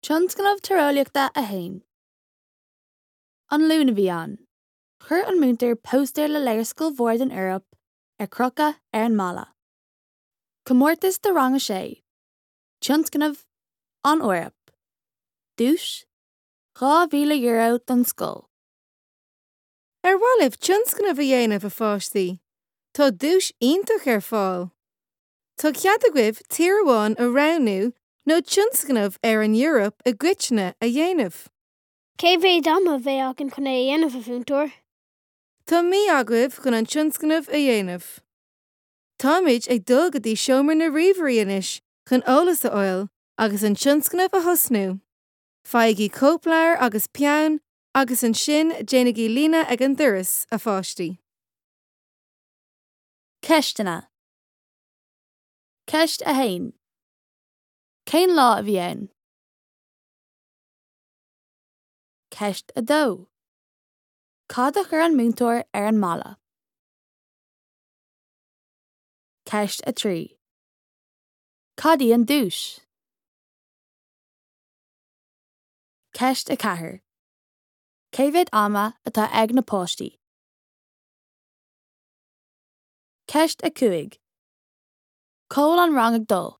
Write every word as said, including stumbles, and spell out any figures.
Tionscnamh Tíreolaíochta a haon. An Luan a bhí ann. Chuir an múinteoir póstaer le léarscáil mhór den Eoraip ar crochadh ar an mballa. Comórtas do rang a sé. Tionscnamh an Eoraip. Duais dhá mhíle euro don scoil. Ar mhaith libh tionscnamh a dhéanamh a pháistí, Tá duais iontach ar fáil. Tá cead agaibh tír amháin a roghnú nó tionscnamh ar an Eoraip i gcoitinne a dhéanamh. Cé mhéad ama a bheidh againn chun é a dhéanamh a mhúinteoir? Tá mí agaibh chun an tionscnamh a dhéanamh. Táimid ag dul go dtí seomra na ríomhairí anois chun eolas a fháil agus an tionscnamh a thosnú. Faighigí cóipleabhar agus peann agus ansin déanaigí líne ag an doras a pháistí. Ceisteanna. Ceist a haon. Cén lá a bhí ann? Ceist a dó. Cad a chuir an múinteoir ar an mballa? Ceist a trí. Cad í an duais? Ceist a ceathair. Cé mhéad ama atá ag na páistí? Ceist a cúig. Cá bhfuil an rang ag dul?